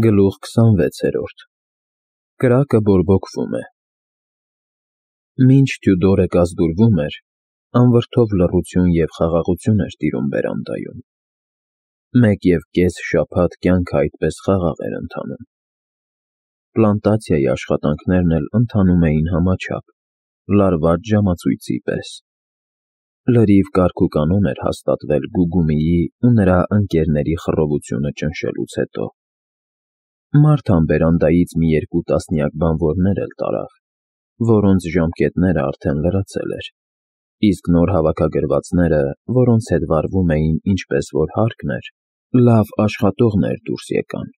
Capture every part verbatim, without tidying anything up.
Գլուխ քսանվեցերորդ Կրակը բորբոքվում է։ Մինչ Թյուդորը կազդուրվում էր, անվրդով լռություն և խաղաղություն էր տիրում բերանդայում. մեկ և կես շաբաթ կյանքը այդպես խաղաղ էր ընթանում։ Պլանտացիայի աշխատանքներն էլ ընթանում էին համաչափ, լարված ժամացույցի պես։ Լրիվ կարգուկանոն էր հաստատվել Գուգումիի ու նրա ընկերների խռովությունը ճնշելուց հետո։ Մարթան բերանդայից մի երկու տասնյակ բանվորներ էլ տարավ, որոնց ժամկետները արդեն լրացել էր, իսկ նոր հավաքագրվածները, որոնց հետ վարվում էին ինչպես որ հարկն էր, լավ աշխատողներ դուրս եկան։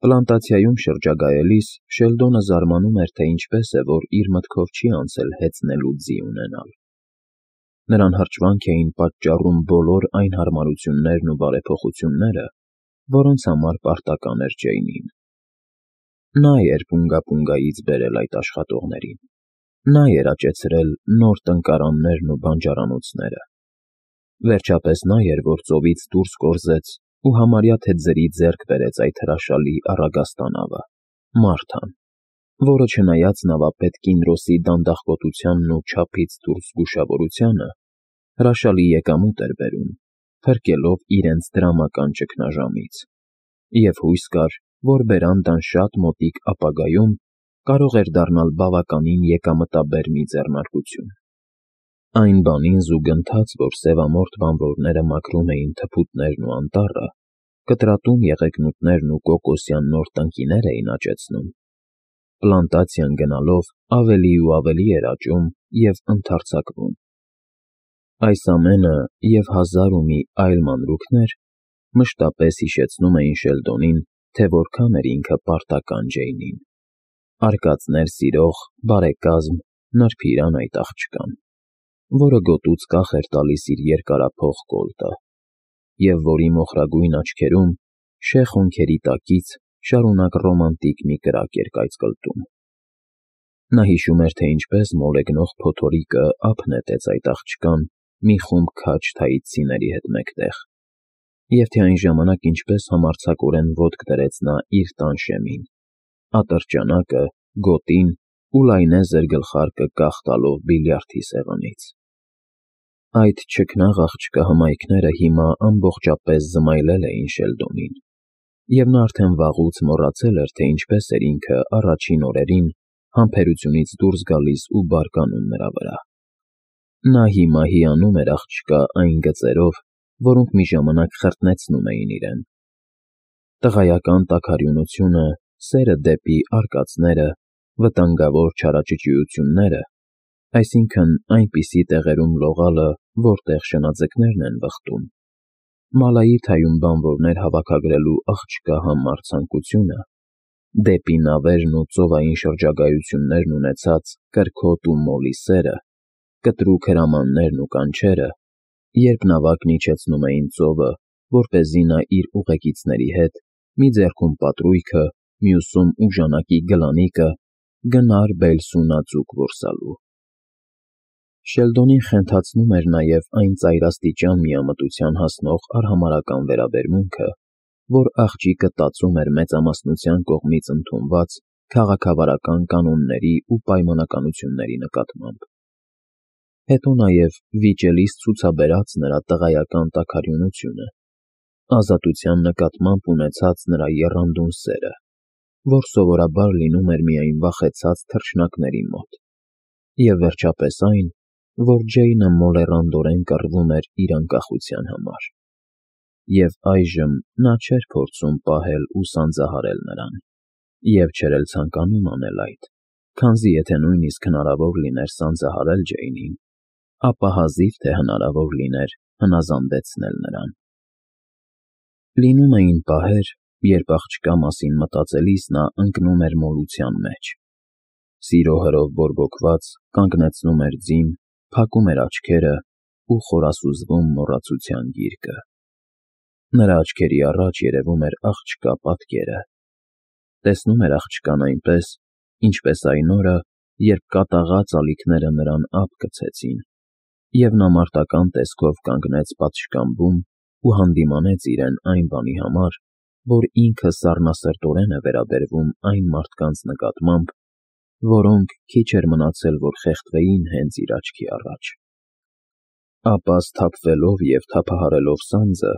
Պլանտացիայում շրջագայելիս Շելդոնը զարմանում էր, թե ինչպես է, որ իր մտքով չի անցել հեծնելու ձի ունենալ։ Նրան հրճվանք էին պատճառում բոլոր այն հարմարություններն ու բարեփոխությունները, որոնց համար պարտական էր Ջեյնին։ Նա էր պունգա֊պունգայից բերել այդ աշխատողներին, նա էր աճեցրել նոր տնկարաններն ու բանջարանոցները։ Վերջապես նա էր, որ ծովից դուրս կորզեց ու համարյա թե ձրի ձեռք բերեց այդ հրաշալի առագաստանավը՝ Մարթան, որը չնայած նավապետ Կինրոսի դանդաղկոտությանն ու չափից դուրս զգուշավորությանը, հրաշալի եկամուտ էր բերում, փրկելով իրենց դրամական ճգնաժամից, և հույս կար, որ բերանդան շատ մոտիկ ապագայում կարող էր դառնալ բավականին եկամտաբեր մի ձեռնարկություն։ Այն բանին զուգընթաց, որ սևամորթ բանվորները մաքրում էին թփուտներն ու անտառը, կտրատում եղեգնուտներն ու կոկոսյան նոր տնկիներ էին աճեցնում, պլանտացիան գնալով ավելի ու ավելի էր աճում և ընդարձակվում։ Այս ամենը և հազար ու մի այլ մանրուքներ մշտապես հիշեցնում էին Շելդոնին, թե որքան էր ինքը պարտական Ջեյնին, արկածներ սիրող, բարեկազմ, նրբիրան այդ աղջկան, որը գոտուց կախ էր տալիս իր երկարափող կոլտը, և որի մոխրագույն աչքերում, շեղ հոնքերի տակից շարունակ ռոմանտիկ մի կրակ էր կայծկլտում։ Նա հիշում էր, թե ինչպես մոլեգնող փոթորիկը ափ նետեց այդ աղջկան մի խումբ քաջ թայիցցիների հետ մեկտեղ, և թե այն ժամանակ ինչպես համարձակորեն ոտք դրեց նա իր տան շեմին, ատրճանակը, գոտին ու լայնեզր գլխարկը կախ տալով բիլիարդի սեղանից։ Այդ չքնաղ աղջկա հմայքները հիմա ամբողջապես զմայլել էին Շելդոնին, և նա արդեն վաղուց մոռացել էր, թե ինչպես էր ինքը առաջին օրերին համբերությունից դուրս գալիս ու բարկանում նրա վրա։ Նա հիմա հիանում էր աղջկա այն գծերով, որոնք մի ժամանակ խրտնեցնում էին իրեն։ Տղայական տաքարյունությունը, սերը դեպի արկածները, վտանգավոր չարաճճիությունները, այսինքն այնպիսի տեղերում լողալը, որտեղ շնաձկներն են վխտում, Մալայիթայում բանվորներ հավաքագրելու աղջկա համառ ցանկությունը, դեպի նավերն ու ծովային շրջագայություններն ունեցած կրքոտ ու մոլի սերը, կտրուկ հրամաններն ու կանչերը, երբ նավակն իջեցնում էին ծովը, որպեսզի նա իր ուղեկիցների հետ, մի ձեռքում պատրույգը, մյուսում ուժանակի գլանիկը, գնար Բելսունաձուկ որսալու։ Շելդոնին խենթացնում էր նաև այն ծայրաստիճան միամտության հասնող արհամարհական վերաբերմունքը, որ աղջիկը տածում էր մեծամասնության կողմից ընդունված քաղաքավարական կանոնների ու պայմանականությունների նկատմամբ։ Հետո նաև վիճելիս ցուցաբերած նրա տղայական տաքարյունությունը, ազատության նկատմամբ ունեցած նրա եռանդուն սերը, որ սովորաբար լինում էր միայն վախեցած թռչնակների մոտ, և վերջապես այն, որ Ջեյնը մոլեռանդորեն կռվում էր իր անկախության համար։ Եվ այժմ նա չէր փորձում պահել ու սանձահարել նրան, և չէր էլ ցանկանում անել այդ, քանզի եթե նույնիսկ հնարավոր լիներ սանձահարել Ջեյնին, ապա հազիվ թե հնարավոր լիներ հնազանդեցնել նրան։ Լինում էին պահեր, երբ աղջկա մասին մտածելիս նա ընկնում էր մոլության մեջ, սիրո հրով բորբոքված կանգնեցնում էր ձին, փակում էր աչքերը ու խորասուզվում մոռացության գիրկը։ Նրա աչքերի առաջ երևում էր աղջկա պատկերը, տեսնում էր աղջկան այնպես, ինչպես այն օրը, երբ կատաղած ալիքները նրան ափ գցեցին, և նա մարտական տեսքով կանգնեց պատշգամբում ու հանդիմանեց իրեն այն բանի համար, որ ինքը սառնասրտորեն է վերաբերվում այն մարդկանց նկատմամբ, որոնք քիչ էր մնացել, որ խեղդվեին հենց իր աչքի առաջ։ Ապա սթափվելով և թափահարելով սանձը,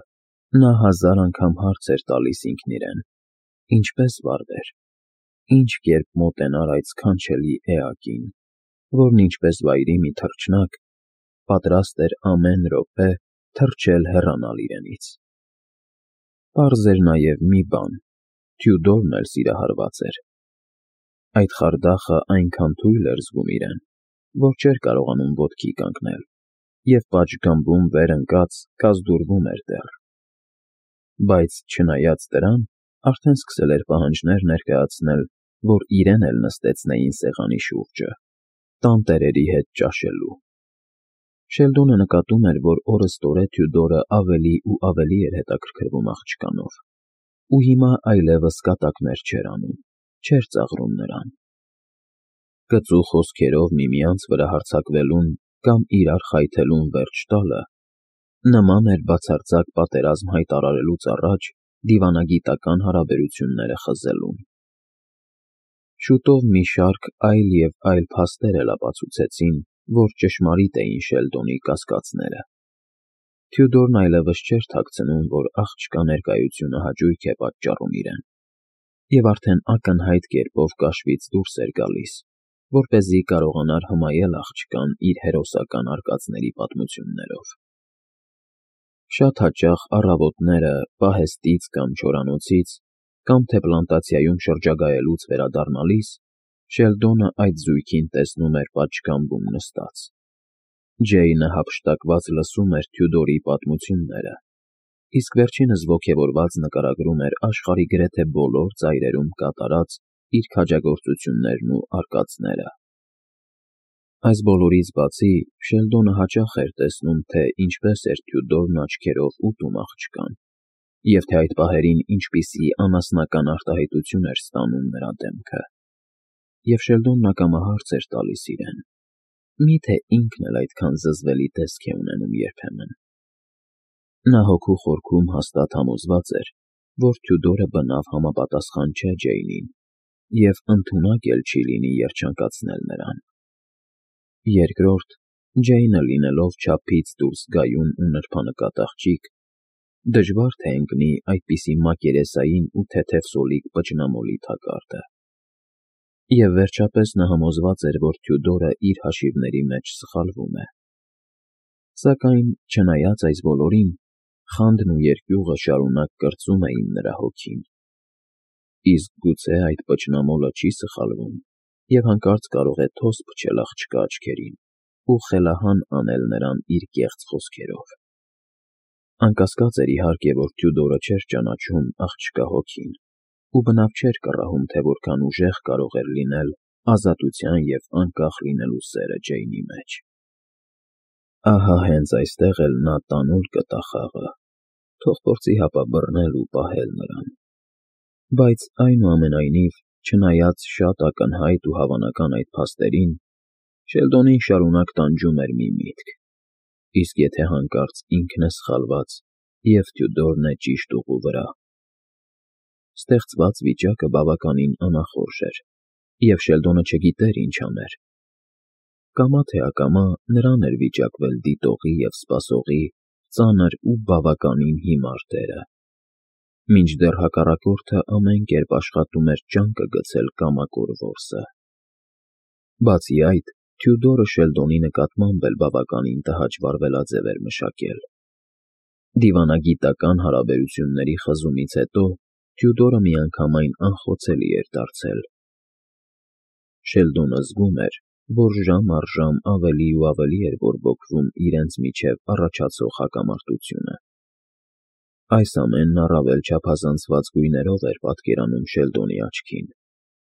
նա հազար անգամ հարց էր տալիս ինքն իրեն. ինչպե՞ս վարվեր, ինչ կերպ մոտենար այդ սքանչելի էակին, որն ինչպես վայրի մի թռչնակ, պատրաստ էր ամեն րոպե թռչել հեռանալ իրենից։ Պարզ էր նաև մի բան. Թյուդորն էլ սիրահարված էր։ Այդ խարդախը այնքան թույլ էր զգում իրեն, որ չէր կարողանում ոտքի կանգնել, և պատշգամբում վեր ընկած կազդուրվում էր դեռ։ Բայց չնայած դրան, արդեն սկսել էր պահանջներ ներկայացնել, որ իրեն էլ նստեցնեին սեղանի շուրջը, տանտերերի հետ ճաշելու։ Շելդոնը նկատում էր, որ օրըստօրե Թյուդորը ավելի ու ավելի էր հետաքրքրվում աղջկանով, ու հիմա այլևս կատակներ չէր անում, չէր ծաղրում նրան։ Կծու խոսքերով միմյանց վրա հարձակվելուն կամ իրար խայթելուն վերջ տալը նման էր բացարձակ պատերազմ հայտարարելուց առաջ դիվանագիտական հարաբերությունները խզելուն։ Շուտով մի շարք այլ և այլ փաստեր էլ ապացուցեցին, որ ճշմարիտ էին Շելդոնի կասկածները։ Թյուդորն այլևս չէր թաքցնում, որ աղջկա ներկայությունը հաճույք է պատճառում իրեն, և արդեն ակնհայտ կերպով կաշվից դուրս էր գալիս, որպեսզի կարողանար հմայել աղջկան իր հերոսական արկածների պատմություններով։ Շատ հաճախ առավոտները պահեստից կամ չորանոցից, կամ թե պլանտացիայում շրջագայելուց վերադառնալիս, Շելդոնը այդ զույգին տեսնում էր պատշգամբում նստած։ Ջեյնը հափշտակված լսում էր Թյուդորի պատմությունները, իսկ վերջինս ոգևորված նկարագրում էր աշխարհի գրեթե բոլոր ծայրերում կատարած իր քաջագործություններն ու արկածները։ Այս բոլորից բացի, Շելդոնը հաճախ էր տեսնում, թե ինչպես էր Թյուդորն աչքերով ուտում աղջկան, և թե այդ պահերին ինչպիսի անասնական արտահայտություն էր ստանում նրա դեմքը։ Եվ Շելդոնն ակամա հարց էր տալիս իրեն. միթե ինքն էլ այդքան զզվելի տեսք է ունենում երբեմն։ Նա հոգու խորքում հաստատ համոզված էր, որ Թյուդորը բնավ համապատասխան չէ Ջեյնին, և ընդունակ էլ չի լինի երջանկացնել նրան։ Երկրորդ, Ջեյնը լինելով չափից դուրս գայուն ու նրբանկատ աղջիկ, դժվար թե ընկնի այդպիսի մակերեսային ու թեթև սոլիկ պճնամոլի թակարդը։ Եվ վերջապես նա համոզված էր, որ Թյուդորը իր հաշիվների մեջ սխալվում է։ Սակայն, չնայած այս բոլորին, խանդն ու երկյուղը շարունակ կրծում էին նրա հոգին։ Իսկ գուցե այդ պճնամոլը չի սխալվում և հանկարծ կարող է թոս փչել աղջկա աչքերին ու խելահան անել նրան իր կեղծ խոսքերով։ Անկասկած էր, իհարկե, որ Թյուդորը չէր ճանաչում աղջկա հոգին, ու բնավ չէր կռահում, թե որքան ուժեղ կարող էր լինել ազատության և անկախ լինելու սերը Ջեյնի մեջ։ Ահա հենց այստեղ էլ նա տանուլ կտա խաղը, թող փորձի հապա բռնել ու պահել նրան։ Բայց, այնուամենայնիվ, չնայած շատ ակնհայտ ու հավանական այդ փաստերին, Շելդոնին շարունակ տանջում էր մի միտք. իսկ եթե հանկարծ ինքն է սխալված, և Թյուդորն է ճիշտ ուղու վրա։ Ստեղծված վիճակը բավականին անախորժ էր, և Շելդոնը չգիտեր ինչ աներ։ Կամա թե ակամա նրան էր վիճակվել դիտողի և սպասողի ծանր ու բավականին հիմար դերը, մինչդեռ հակառակորդը ամեն կերպ աշխատում էր ճանկը գցել կամակոր որսը։ Բացի այդ, Թյուդորը Շելդոնի նկատմամբ էլ բավականին տհաճ վարվելաձև էր մշակել։ Դիվանագիտական հարաբերությունների խզումից հետո Թյուդորը միանգամայն անխոցելի էր դարձել։ Շելդոնը զգում էր, որ ժամ առ ժամ ավելի ու ավելի էր բորբոքվում իրենց միջև առաջացող հակամարտությունը։ Այս ամենն առավել չափազանցված գույներով էր պատկերանում Շելդոնի աչքին,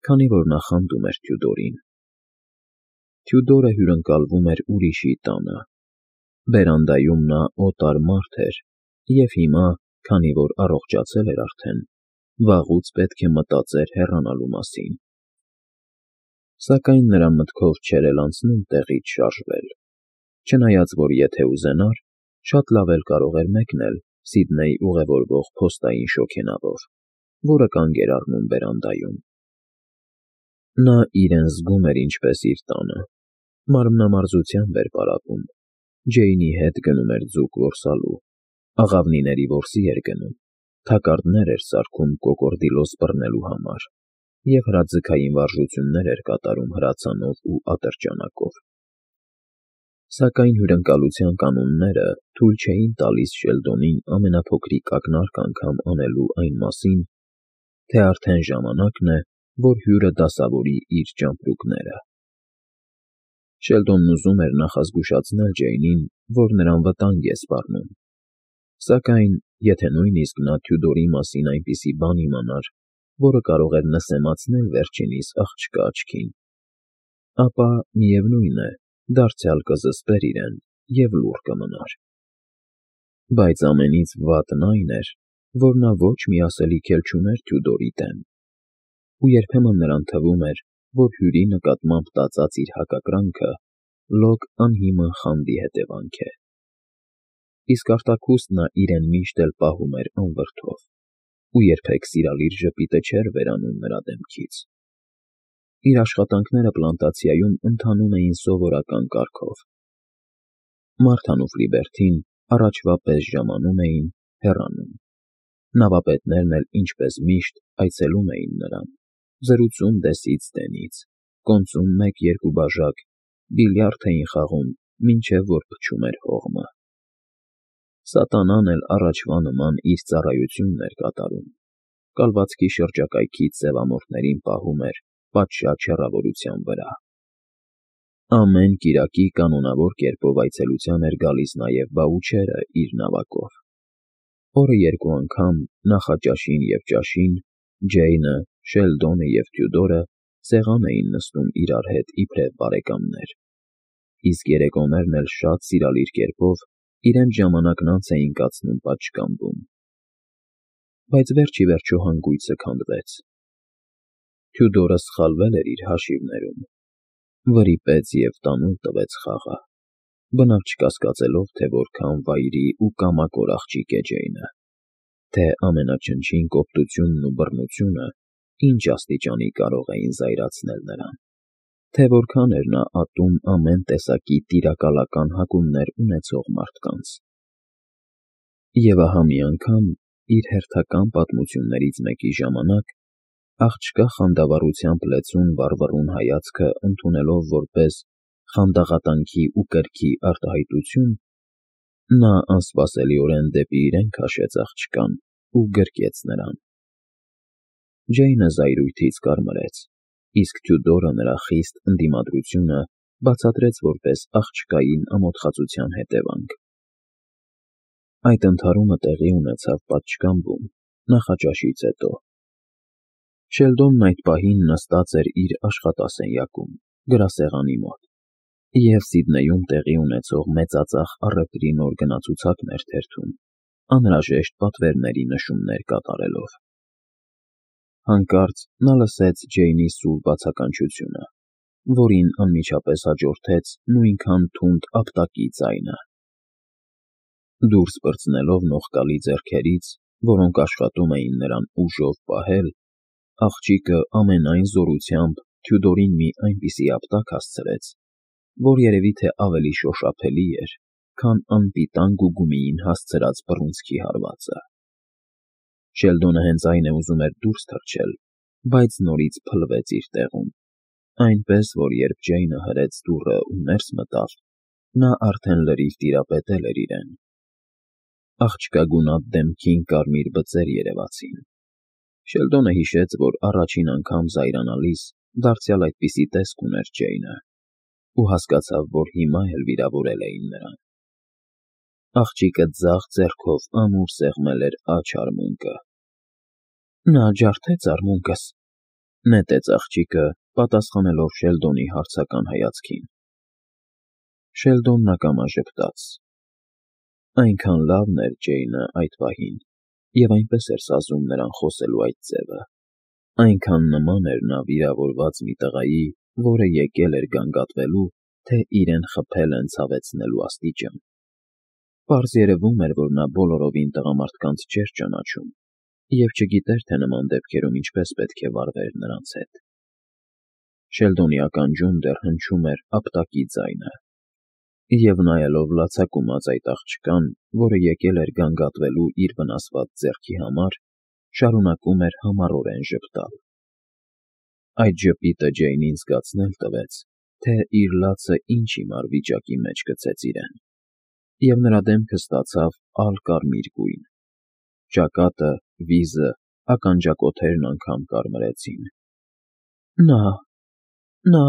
քանի որ նա խանդում էր Թյուդորին։ Թյուդորը հյուրընկալվում էր ուրիշի տանը։ Բերանդայում նա օտար մարդ էր, և հիմա, քանի որ առողջացել էր արդեն, վաղուց պետք է մտածեր հեռանալու մասին։ Սակայն նրա մտքով չէր էլ անցնում տեղից շարժվել, չնայած որ եթե ուզենար, շատ լավ էլ կարող էր մեկնել Սիդնեյ ուղևորվող փոստային շոգենավով։ որը կանգ էր առնում բերանդայում։ Նա իրեն զգում էր ինչպես իր տանը, մարմնամարզությամբ էր պարապում, Ջեյնի հետ գնում էր ձուկ որսալու, աղավնիների որսի էր գնում, թակարդներ էր սարքում կոկորդիլոս բռնելու համար և հրաձգային վարժություններ էր կատարում հրացանով ու ատրճանակով։ Սակայն հյուրընկալության կանոնները թույլ չէին տալիս Շելդոնին ամենափոքրիկ ակնարկ անգամ անելու այն մասին, թե արդեն ժամանակն է, որ հյուրը դասավորի իր ճամպրուկները։ Շելդոնն ուզում էր նախազգուշացնել Ջեյնին, որ նրան վտանգ է սպառնում, սակայն եթե նույնիսկ նա Թյուդորի մասին այնպիսի բան իմանար, որը կարող էր նսեմացնել վերջինիս աղջկա աչքին, ապա, միևնույն է, դարձյալ կզսպեր իրեն և լուռ կմնար։ Բայց ամենից վատն այն էր, որ նա ոչ մի ասելիք էլ չուներ Թյուդորի դեմ, ու երբեմն նրան թվում էր, որ հյուրի նկատմամբ տածած իր հակակրանքը լոկ անհիմն խանդի հետևանք է։ Իսկ արտաքուստ նա իրեն միշտ էլ պահում էր անվրդով ու երբեք սիրալիր ժպիտը չէր վերանում նրա դեմքից։ Իր աշխատանքները պլանտացիայում ընթանում էին սովորական կարգով։ Մարթան ու Ֆլիբերթին առաջվա պես ժամանում էին, հեռանում։ Նավապետներն էլ ինչպես միշտ այցելում էին նրան, զրուցում դեսից դենից, կոնծում մեկ֊երկու բաժակ, բիլիարդ էին խաղում, մինչև որ փչում էր հողմը։ Սատանան էլ առաջվա նման իր ծառայությունն էր կատարում, կալվածքի շրջակայքից սևամորթներին պահում էր պատշաճ հեռավորության վրա։ Ամեն կիրակի կանոնավոր կերպով այցելության էր գալիս նաև Բաուչերը իր նավակով։ Օրը երկու անգամ նախաճաշին և ճաշին Ջեյնը, Շելդոնը և Թյուդորը սեղան էին նստում իրար հետ իբրև բարեկամներ, իսկ երեկոներն էլ շատ սիրալիր կերպով իրենց ժամանակն անց էին կացնում պատշգամբում։ Բայց վերջ ի վերջո հանգույցը քանդվեց։ Թյուդորը սխալվել էր իր հաշիվներում, վրիպեց և տանուլ տվեց խաղը, բնավ չկասկածելով, թե որքան վայրի ու կամակոր աղջիկ է Ջեյնը, թե ամենաչնչին կոպտությունն ու բռնությունը ինչ աստիճանի կարող էին զայրացնել նրան, թե որքան էր նա ատում ամեն տեսակի տիրակալական հակումներ ունեցող մարդկանց։ Եվ ահա մի անգամ, իր հերթական պատմություններից մեկի ժամանակ, աղջկա խանդավառությամբ լեցուն վառվռուն հայացքը ընդունելով որպես խանդաղատանքի ու կրքի արտահայտություն, նա անսպասելիորեն դեպի իրեն քաշեց աղջկան ու գրկեց նրան։ Ջեյնը զայրույթից կարմրեց, իսկ Թյուդորը նրա խիստ ընդդիմադրությունը բացատրեց որպես աղջկային ամոթխածության հետևանք։ Այդ ընդհարումը տեղի ունեցավ պատշգամբում, նախաճաշից հետո։ Շելդոնն այդ պահին նստած էր իր աշխատասենյակում, գրասեղանի մոտ, և Սիդնեյում տեղի ունեցող մեծածախ առևտրի նոր գնացուցակն էր թերթում, անհրաժեշտ պատվերների նշումներ կատարելով։ Հանկարծ նա լսեց Ջեյնի սուր բացականչությունը, որին անմիջապես հաջորդեց նույնքան թունդ ապտակի ձայնը։ Դուրս պրծնելով նողկալի ձեռքերից, որոնք աշխատում էին նրան ուժով պահել, աղջիկը ամենայն զորությամբ Թյուդորին մի այնպիսի ապտակ հասցրեց, որ երևի թե ավելի շոշափելի էր, քան անպիտան գուգումիին հասցրած բռունցքի հարվածը։ Շելդոնը հենց այն է ուզում էր դուրս թռչել, բայց նորից փլվեց իր տեղում, այնպես որ երբ Ջեյնը հրեց դուռը ու ներս մտավ, նա արդեն լրիվ տիրապետել էր իրեն։ Աղջկա գունատ դեմքին կարմիր բծեր երևացին։ Շելդոնը հիշեց, որ առաջին անգամ զայրանալիս դարձյալ այդպիսի տեսք ուներ Ջեյնը, ու հասկացավ, որ հիմա էլ վիրավորել էին նրան։ Աղջիկը ձախ ձեռքով ամուր սեղմել էր աջ արմունկը։ Նա ջարդեց արմունկս, նետեց աղջիկը, պատասխանելով Շելդոնի հարցական հայացքին։ Շելդոնն ակամա ժպտաց։ Այնքան լավն էր Ջեյնը այդ պահին, և այնպես էր սազում նրան խոսելու այդ ձևը, այնքան նման էր նա վիրավորված մի տղայի, որը եկել էր գանգատվելու, թե իրեն խփել են ցավեցնելու աստիճան։ Պարզ երևում էր, որ նա բոլորովին տղամարդկանց չէր ճանաչում, և չգիտեր, թե նման դեպքերում ինչպես պետք է վարվեր նրանց հետ։ Շելդոնի ականջում դեռ հնչում էր ապտակի ձայնը, և նայելով լացակումած այդ աղջկան, որը եկել էր գանգատվելու իր վնասված ձեռքի համար, շարունակում էր համառորեն ժպտալ։ Այդ ժպիտը Ջեյնին զգացնել տվեց, թե իր լացը ինչ հիմար վիճակի մեջ գցեց իրեն, և նրա դեմքը ստացավ ալ֊կարմիր գույն, ճակատը, վիզը, ականջակոթերն անգամ կարմրեցին։ Նա… նա…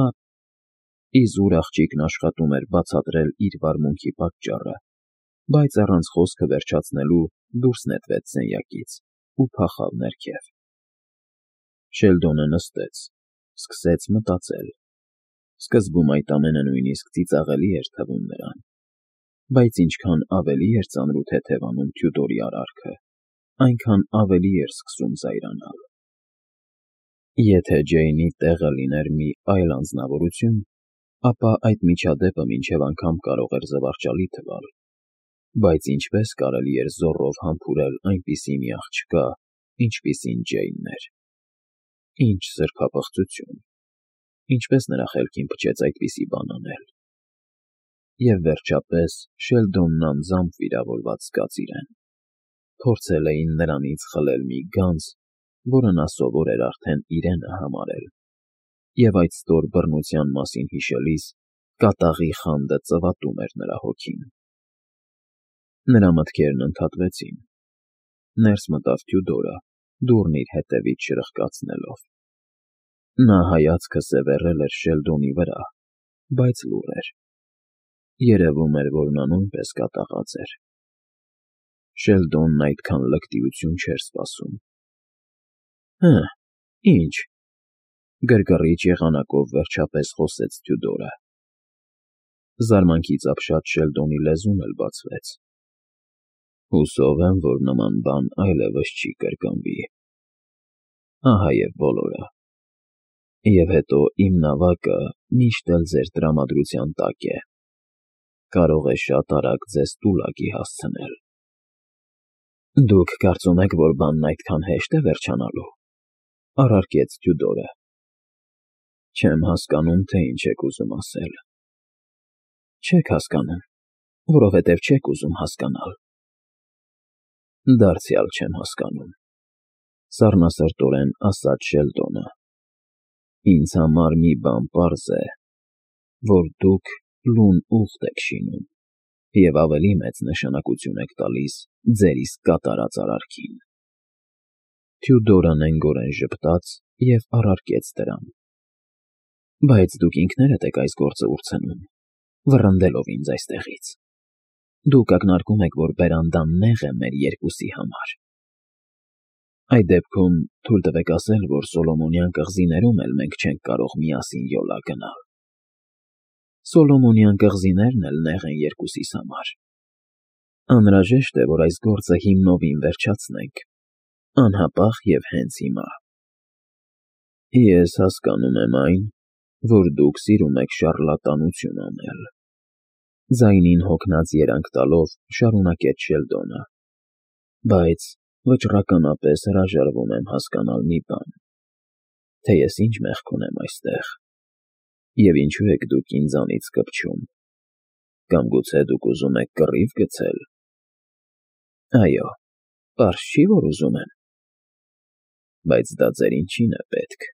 Իզուր աղջիկն աշխատում էր բացատրել իր վարմունքի պատճառը, բայց առանց խոսքը վերջացնելու դուրս նետվեց սենյակից ու փախավ ներքև։ Շելդոնը նստեց, սկսեց մտածել։ Սկզբում այդ ամենը նույնիսկ ծիծաղելի էր թվում նրան, բայց ինչքան ավելի էր ծանր ու թեթևանում Թյուդորի արարքը, այնքան ավելի էր սկսում զայրանալ։ Եթե Ջեյնի տեղը լիներ մի այլ անձնավորություն, ապա այդ միջադեպը մինչև անգամ կարող էր զվարճալի թվալ, բայց ինչպես կարելի էր զոռով համբուրել այնպիսի մի աղջկա, ինչպիսին Ջեյնն էր։ Ինչ սրբապղծություն… Ինչպես նրա խելքին փչեց այդպիսի բան անել… Եվ վերջապես Շելդոնն անձամբ վիրավորված զգաց իրեն։ Փորձել էին նրանից խլել մի գանձ, որը նա սովոր էր արդեն իրենը համարել, և այդ ստոր բռնության մասին հիշելիս կատաղի խանդը ծվատում էր նրա հոգին։ Նրա մտքերն ընդհատվեցին։ Ներս մտավ Թյուդորը, դուռն իր հետևից շրխկացնելով։ Նա հայացքը սևեռել էր Շելդոնի վրա, բայց լուռ էր։ Երևում էր, որ նա նույնպես կատաղած էր։ Շելդոնն այդքան լկտիություն չէր սպասում։ Հը, ի՞նչ… Գրգռիչ եղանակով վերջապես խոսեց Թյուդորը։ Զարմանքից ապշած Շելդոնի լեզուն էլ բացվեց։ Հուսով եմ, որ նման բան այլևս չի կրկնվի։ Ահա և բոլորը։ Եվ հետո իմ նավակը միշտ էլ ձեր տրամադրության տակ է, կարող է շատ արագ ձեզ տուլակի հասցնել։ Դուք կարծում եք, որ բանն այդքան հեշտ է վերջանալու, առարկեց Թյուդորը։ Չեմ հասկանում, թե ինչ եք ուզում ասել։ Չեք հասկանում, որովհետև չեք ուզում հասկանալ։ Դարձյալ չեմ հասկանում, սառնասրտորեն ասաց Շելդոնը։ Ինձ համար մի բան պարզ է, որ դուք լուն ուղտ եք շինում և ավելի մեծ նշանակություն եք տալիս ձեր իսկ կատարած արարքին։ Թյուդորը նենգորեն ժպտաց և առարկեց դրան։ Բայց դուք ինքներդ եք այս գործը ուրցնում, վռնդելով ինձ այստեղից։ Դուք ակնարկում եք, որ բերանդան նեղ է մեր երկուսի համար։ Այդ դեպքում թույլ տվեք ասել, որ Սոլոմոնյան կղզիներում էլ մենք չենք կարող միասին յոլա գնալ։ Սոլոմոնյան կղզիներն էլ նեղ են երկուսիս համար։ Անհրաժեշտ է, որ այս գործը հիմնովին վերջացնենք, անհապաղ և հենց հիմա։ Ես հասկանում եմ այն, որ դուք սիրում եք շառլատանություն անել, ձայնին հոգնած երանգ տալով շարունակեց Շելդոնը, բայց վճռականապես հրաժարվում եմ հասկանալ մի բան, թե ես ինչ մեղք ունեմ այստեղ, և ինչու եք դուք ինձանից կպչում, կամ գուցե դուք ուզում եք կռիվ գցել։ Այո, պարզ չի, որ ուզում եմ։ Բայց դա ձեր ինչին է պետք։